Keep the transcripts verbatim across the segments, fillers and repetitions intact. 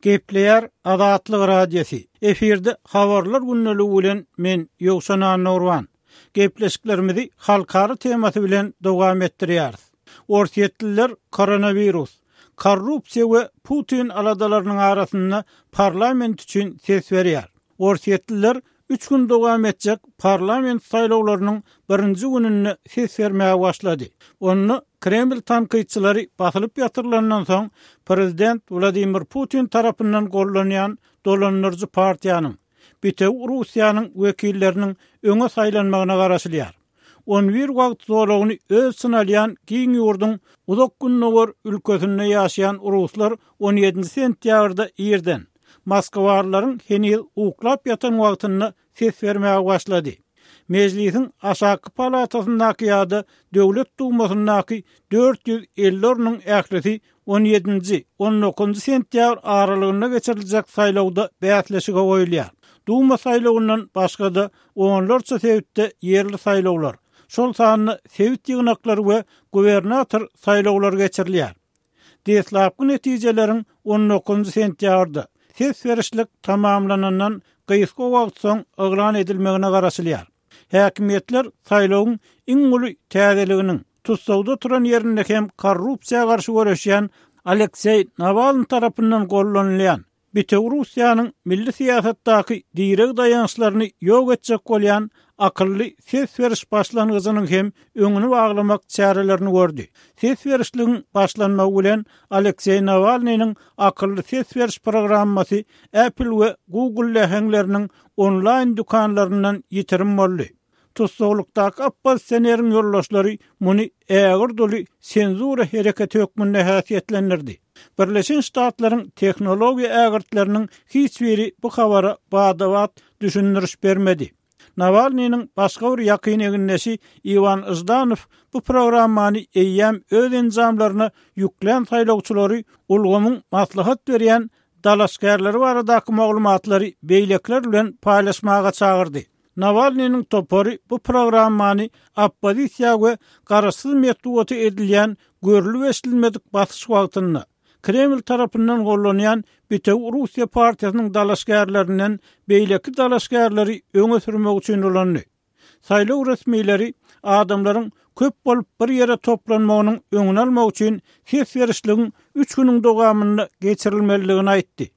Gepleýär Azatlyk Radiosy. Efirde habarlar gündeligi bilen men Ýowşan Annagurban. Gepleşiklerimizi halkara temasy bilen dowam etdirýäris. Orsýetliler koronawirus, korrupsiýa we Putin aladalarynyň arasynda parlament üçin ses berýär. Orsýetliler üç gün dowam etjek parlament saýlawlarynyň birinji gününde ses bermäge başlady. Onda Kreml tankytçylary basylyp ýatyrylandan soň prezident Wladimir Putin tarapyndan gollanýan dolandyryjy partiýanyň Bitewi Russiýanyň wekilleriniň öňe saýlanmagyna garaşylýar. On bir wagt zolagyny öz içine alýan giň ýurduň uzak gündogar ülkesinde ýaşaýan ruslar on ýedinji sentýabrda irden Moskwalylaryň heniz uklap ýatan wagtynda ses bermäge başlady. Mejlisiň aşaky palatasyndaky ýa-da Döwlet Dumasyndaky dört ýüz elli ornuň ählisi on ýedinji, on dokuzynjy sentýabr aralygynda geçiriljek saýlawda bäsleşige goýulýar. Duma saýlawyndan başga-da onlarça sebitde ýerli saýlawlar, şol sanda sebit ýygnaklary we gubernator saýlawlary geçirilýär. Deslapky netijeleriň on dokuzynjy sentýabrda ses berişlik tamamlanandan gysga wagt soň yglan edilmegine garaşylýar. Häkimiýetler saýlawyň iň uly täzeliginiň tussagda oturan ýerinde hem korrupsiýa garşy göreşýän Alekseý Nawalny tarapyndan gollanylýan Bitewi Russiýanyň milli syýasatdaky direg daýançlaryny ýok etjek bolýan akylly ses beriş başlangyjynyň hem öňüni baglamak çärelerini gördi. Ses berişligiň başlanmagy bilen Alekseý Nawalnynyň akylly ses beriş programmasy Apple we Google läheňleriniň onlaýn dükanlaryndan ýitirim boldy. Tussaglykdaky oppozisioneriň ýoldaşlary muny ägirt uly senzura hereketi hökmünde häsiýetlendirdi. Birleşen Ştatlaryň tehnologiýa ägirtleriniň hiç biri bu habara bada-bat düşündiriş bermedi. Nawalnynyň başga bir ýakyn egindeşi Iwan Ždanow bu programmany eýýäm öz enjamlaryna ýüklän saýlawçylary ulgamyň maslahat berýän dalaşgärleri baradaky maglumatlary beýlekler bilen paýlaşmaga çagyrdy. Nawalnynyň topary bu programmany oppozisiýa we garaşsyz metbugaty edilýän görülip eşidilmedik basyş wagtynda Kreml tarapyndan gollanýan Bitewi Russiýa partiýasynyň dalaşgärlerinden beýleki dalaşgärleri öňe sürmek üçin ulandy. Saýlaw resmileri adamlaryň köp bolup bir ýere toplanmagynyň öňüni almak üçin ses berişligiň üç günüň dowamynda geçirilmelidigini aýtdy.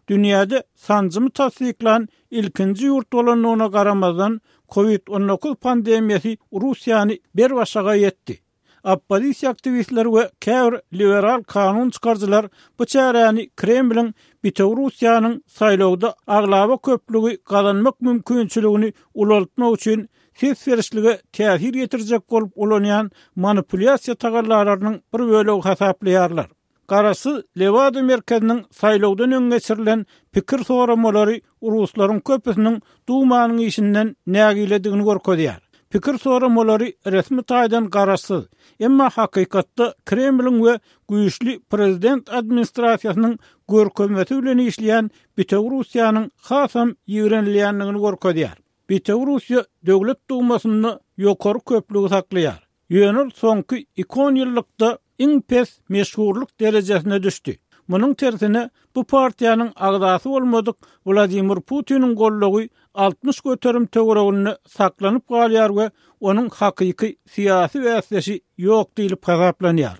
Dünýäde sanjymy tassyklan ilkinji ýurt bolandygyna garamazdan COVID on dokuz pandemiýasy Russiýany berbaşaga ýetdi. Oppozisiýa aktiwistleri we käbir liberal kanun çykaryjylar bu çäräni Kremliň Bitewi Russiýanyň saýlawda aglaba köplügi gazanmak mümkinçiligini ulaltmak üçin ses berişlige täsir ýetirjek bolup ulanýan manipulýasiýa tagallalarynyň bir bölegi hasaplaýarlar. Garaşsyz Lewada merkeziniň saýlawdan öň geçirilen pikir soramalary ruslaryň köpüsiniň Dumanyň işinden nägiledigini görkezýär. Pikir soramalary resmi taýdan garaşsyz, emma hakykatda Kremliň we güýçli prezident administrasiýasynyň görkezmesi bilen işleýän Bitewi Russiýanyň hasam ýigrenilýändigini görkezýär. Bitewi Russiýa Döwlet Dumasynda ýokary köplügi saklaýar. Ýöne ol soňky iki on ýyllykda iň pes meşhurlyk derejesine düşdi. Munuň tersine bu partiýanyň agzasy bolmadyk Wladimir Putiniň gollugy altmyş göterim töwereginde saklanyp galýar we onuň hakyky syýasy bäsdeşi ýok diýlip hasaplanýar.